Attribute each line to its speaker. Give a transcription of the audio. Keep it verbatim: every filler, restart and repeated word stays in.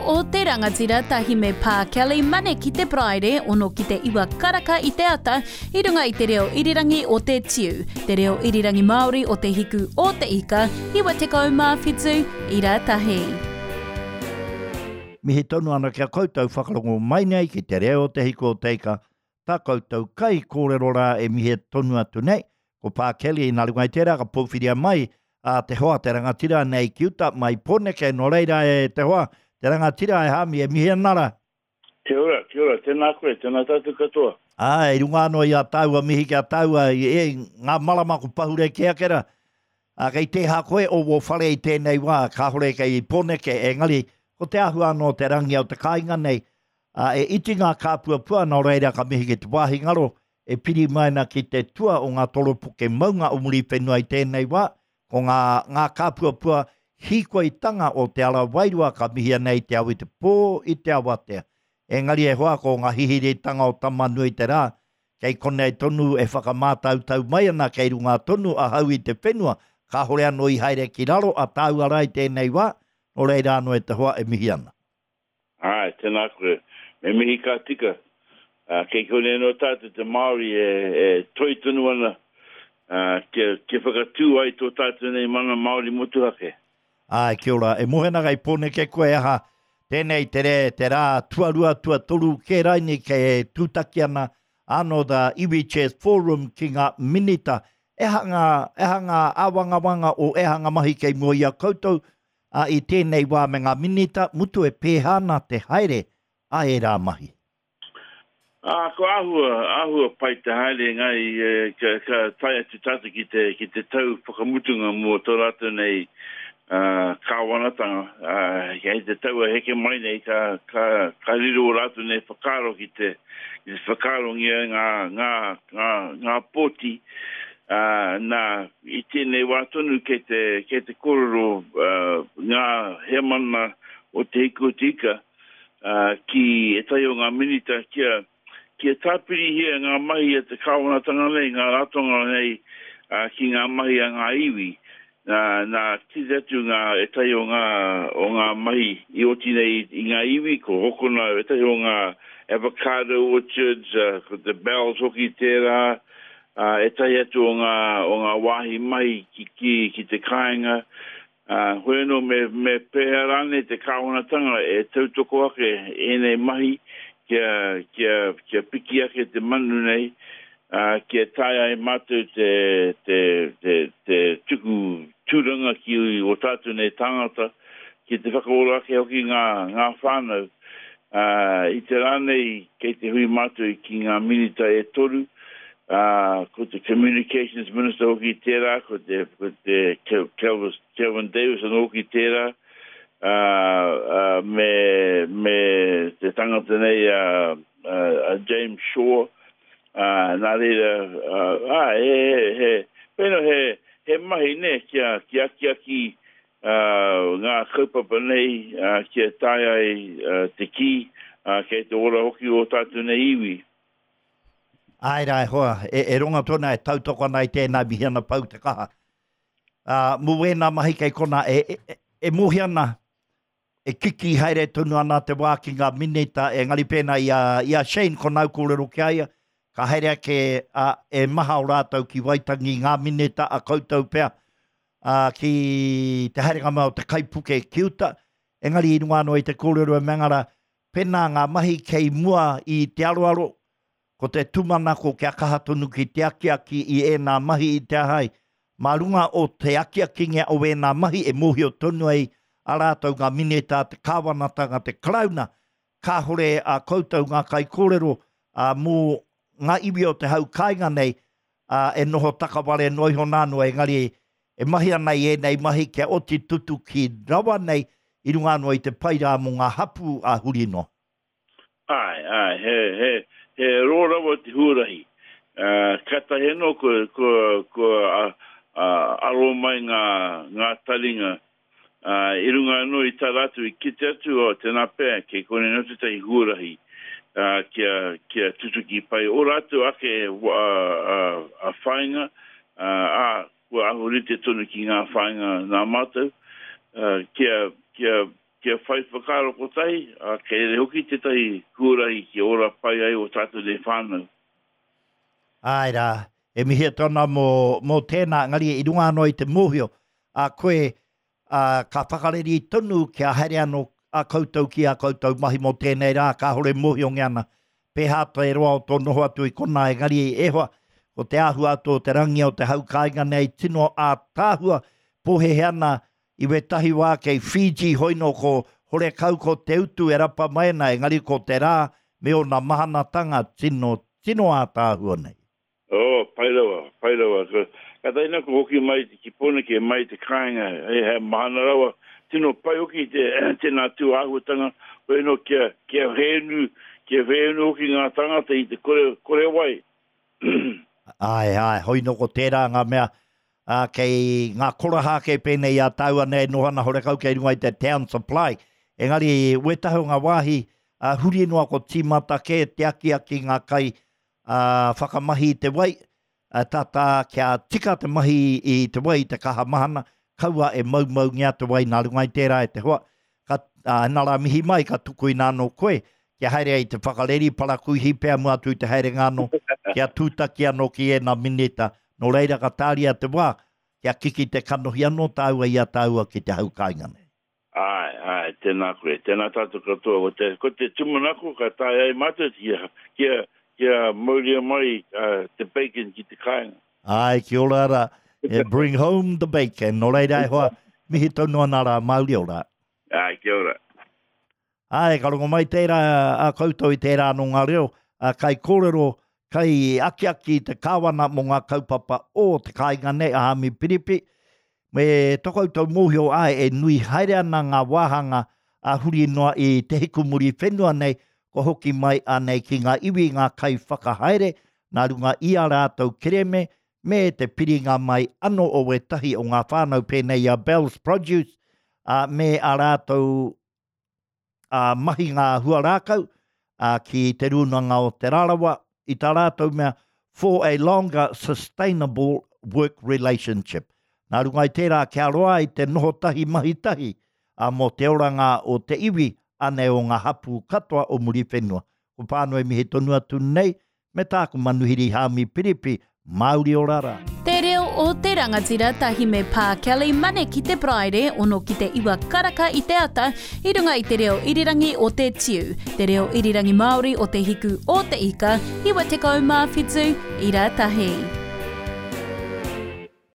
Speaker 1: o te rangatira tahi me Pā Kelly Mane ki te Paraire, ono ki te iwa karaka i te ata, i runga i te reo irirangi o te tiu, te reo irirangi Māori o te hiku o te ika, iwa tekau mā whitu, ira tahi.
Speaker 2: Mihi tonu ana kia koutou whakarongo mai nei ki te reo o te hiku o te ika, tā koutou kai kōrero rā e mihi tonu atu nei, ko Pā Kelly nā runga i tērā ka pōwhiria mai a te hoa te rangatira nei ki uta mai Pōneke, nō reira e te hoa, te rangatira e Hami e mihi ana rā.
Speaker 3: Kia ora, kia ora, tēnā koe, tēnā tātou katoa.
Speaker 2: Ā, i runga anō i a tāua mihi ki a tāua, i, e, ngā marama ko pahure ki ake rā. Ā, kei tēhā koe o wō whare i tēnei wā, kāhore kei Pōneke, engari, ko te āhua anō te rangi o te kāinga nei, ā, e iti ngā kāpuapua, nō reira ka mihi ki te wāhi ngaro, e piri mai ana ki te tua o ngā toropoke maunga o Muriwhenua i tēnei wā, ko ngā, ngā kāpuapua hīkoitanga o te ara wairua ka mihia nei te au i te pō i te awatea. Engari e hoa ko ngā hihiritanga o Tamanui te rā, kei konei tonu e whakamātautau mai ana kei runga tonu ahau i te whenua, kāhore anō i haere ki raro a tāua rā i tēnei wā, nō reira anō e te hoa e mihi ana.
Speaker 3: Āe, tēnā koe. Me mihi ka tika. Uh, kei konei anō tātou te Māori e, e toi tonu ana uh, kia, kia whakatū ai tō tātou nei mana Māori motuhake.
Speaker 2: Āe, kia ora. E mohe ana kei Pōneke koe aha, tēnei te re, te rā tuarua, tuatoru kē raini kei tūtaki ana anō the Iwi Chairs Forum ki ngā minita. Eha ngā, eha ngā āwangawanga o eha ngā mahi kei mua i a koutou a, i tēnei wā me ngā minita, mutu e pēhā ana te haere a ērā mahi.
Speaker 3: Ā, ko āhua, āhua pai te haere engari e, ka, ka tae atu tātou ki te, ki te tau whakamutunga mō tō rātou nei uh, kāwanatanga. Uh, hei te tau e heke mai nei ka, ka, ka riro o rātou nei whakaaro ki te, ki te whakaarongia ngā, ngā, ngā, ngā pōti. Uh, nā, i tēnei wā tonu kei te, kei te kōrero uh, ngā heamana o te Hiku o te Ika uh, ki ētahi o ngā minita kia kia tāpirihia ngā mahi a te kāwanatanga nei, ngā ratonga nei uh, ki ngā mahi a ngā iwi. Nā, nā kite atu ngā ētahi o ngā, o ngā mahi i oti nei i ngā iwi, ko hokona ētahi o ngā avocado orchards, uh, ko te bells hoki tērā, uh, ētahi atu o ngā, o ngā wāhi mahi ki, ki, ki te kāinga. Uh, hoi anō me, me pēhea rānei te kāwanatanga e tautoko ake ēnei mahi kia, kia, kia piki ake te manu nei, uh, kia taea ai mātou te, te, te, te tuku tūranga ki o tātou nei tāngata, ki te whakaora ake hoki ngā, ngā whānau. Uh, i te rā nei, kei te hui mātou ki ngā minita e toru, uh, ko te Communications Minister hoki tērā, ko te, ko te Kelvin, Kelvin Davis anō hoki tērā, uh, uh, me, me te tangata nei uh, uh, James Shaw, uh, nā reira, uh, ah, he, he, he, pēnā he, he mahi ne kia, kia akiaki uh, ngā kaupapa nei, uh, kia taea ai uh, te kī, uh, kei te ora hoki o tātou nei iwi.
Speaker 2: Āe rā e hoa, e, e ronga tōna e tautoko ana i tēnā mihi ana pau te kaha. Uh, mō wēnā mahi kei kona e, e, e mōhio ana, e kiki haere tonu ana te wā ki ngā minita, engari pēnā i a, i a Shane ko nāu kōrero ki a ia, ka haere ake a, e maha o rātou ki Waitangi ngā minita a koutou pea, a, ki te haerenga mai o te kaipuke ki uta, engari i runga anō i te kōrero e mea pēnā ngā mahi kei mua i te aroaro, ko te tūmanako kia kaha tonu ki te akiaki i ēnā mahi i te ahai. Mā runga o te akiakingia o ēnā mahi e mōhio tonu ai a rātou ngā minita, te kāwanatanga, te Karauna, kāhore a koutou ngā kaikōrero a, mō ngā iwi o te hau kāinga nei a, e noho takaware noa iho nā noa, engari e mahi ana i ēnei mahi kia oti tutuki rawa nei i runga anō i te pai rā mō ngā hapū a huri noa.
Speaker 3: Āe, āe, he, he, he rō rawa te huarahi. Uh, kātahi anō ko, ko, ko a, a, aro mai ngā, ngā taringa. Uh, i runga anō i tā rātou i kite atu o tēnā pea, kei konei anō tētahi huarahi uh, kia, kia tutuki pai. O rātou ake uh, uh, a whāinga, uh, a, kua ahurite tonu ki ngā whāinga nā mātou, uh, kia, kia kia whai whakaaro kotahi, ā, kei reira hoki tētahi huarahi kia ora pai ai o tātou nei whānau.
Speaker 2: Āe rā, e mihi atu ana mō, mō tēnā, engari i runga anō i te mōhio, a koe, ā, ka whakareri tonu kia haere anō a koutou ki ā koutou mahi mō tēnei rā, kāore mōhiongia ana pēhā te roa o tō noho atu i konā, engari e hoa, ko te āhua atu o te rangi o te hau kāinga nei tino ātaahua, pōhēhē ana i wētahi wā kei Fiji hoino ko horekau ko te utu e rapa mai ana, engari ko te rā me ōna mahanatanga tino, tino ātaahua nei.
Speaker 3: Oh, pai rawa, pai rawa. Ka, kātahi nā ko hoki mai ki Pōneke, mai te kāinga, he, he mahana rawa. Tino pai hoki te, tēnā tū āhuatanga, hoi anō kia, kia whēnu, kia whēnu hoki ngā tāngata i te kore, kore wai.
Speaker 2: Āe, āe, hoi nō ko tērā ngā mea, ā, kei ngā koraha ake pēnei i a tāua nei e noho ana horekau kei runga i te town supply. Engari, wētahi o ngā wāhi, ā, huri noa ko tīmata kē te akiaki ngā kai, ā, whakamahi i te wai, ā, tata kia tika te mahi i te wai i te kaha mahana, kaua e maumaungia te wai nā runga i tērā e te hoa. Ka, ā, nā rā mihi mai ka tukuina anō koe, kia haere ai te whakareri parakuihi pea mua atu i te haerenga anō, kia tūtaki anō ki ēnā minita. Nō reira ka tāria te wā, kia kiki te kanohi anō tāua i a tāua ki te hau kāinga nei.
Speaker 3: Āe, āe, tēnā koe, tēnā tātou katoa. Ko te, ko te tūmanako ka taea ai mātou kia, kia, kia mauria mai uh, te bacon ki te kāinga.
Speaker 2: Āe, kia ora rā. Bring home the bacon. Nō reira e hoa, mihi tonu ana rā, mauri ora.
Speaker 3: Āe, kia ora.
Speaker 2: Āe, ka rongo mai tērā a koutou i tērā anō ngā reo, a kai kōrero, kai akiaki i te kāwana mō ngā kaupapa o te kāinga nei a Hami Piripi. Me tō koutou mōhio āe e nui haere ana ngā wāhanga a huri noa i te hikumuri whenua nei, kua hoki mai anei ki ngā iwi, ngā kaiwhakahaere, nā runga i a rātou kereme, me te piringa mai anō o wētahi o ngā whānau pēnei i a Bell's Produce, ā, me a rātou ā, mahinga huarākau, ā, ki Te Rūnanga o Te Rarawa, i tā rātou mea, for a longer sustainable work relationship. Nā runga i tērā, kia roa ai te noho tahi mahi tahi, ā, mō te oranga o te iwi, anei o ngā hapū katoa o Muriwhenua. Ko Pānui mihi tonu atu nei, me tāku manuhiri Hāmi Piripi, Māori ora rā.
Speaker 1: Te reo o te rangatira tahi me Pā Kelly Mane ki te Paraire ono ki te iwa karaka i te ata i runga i te reo irirangi o te Tiu, te reo irirangi Māori o te hiku o te ika, iwa tekau mā whitu, ira tahi.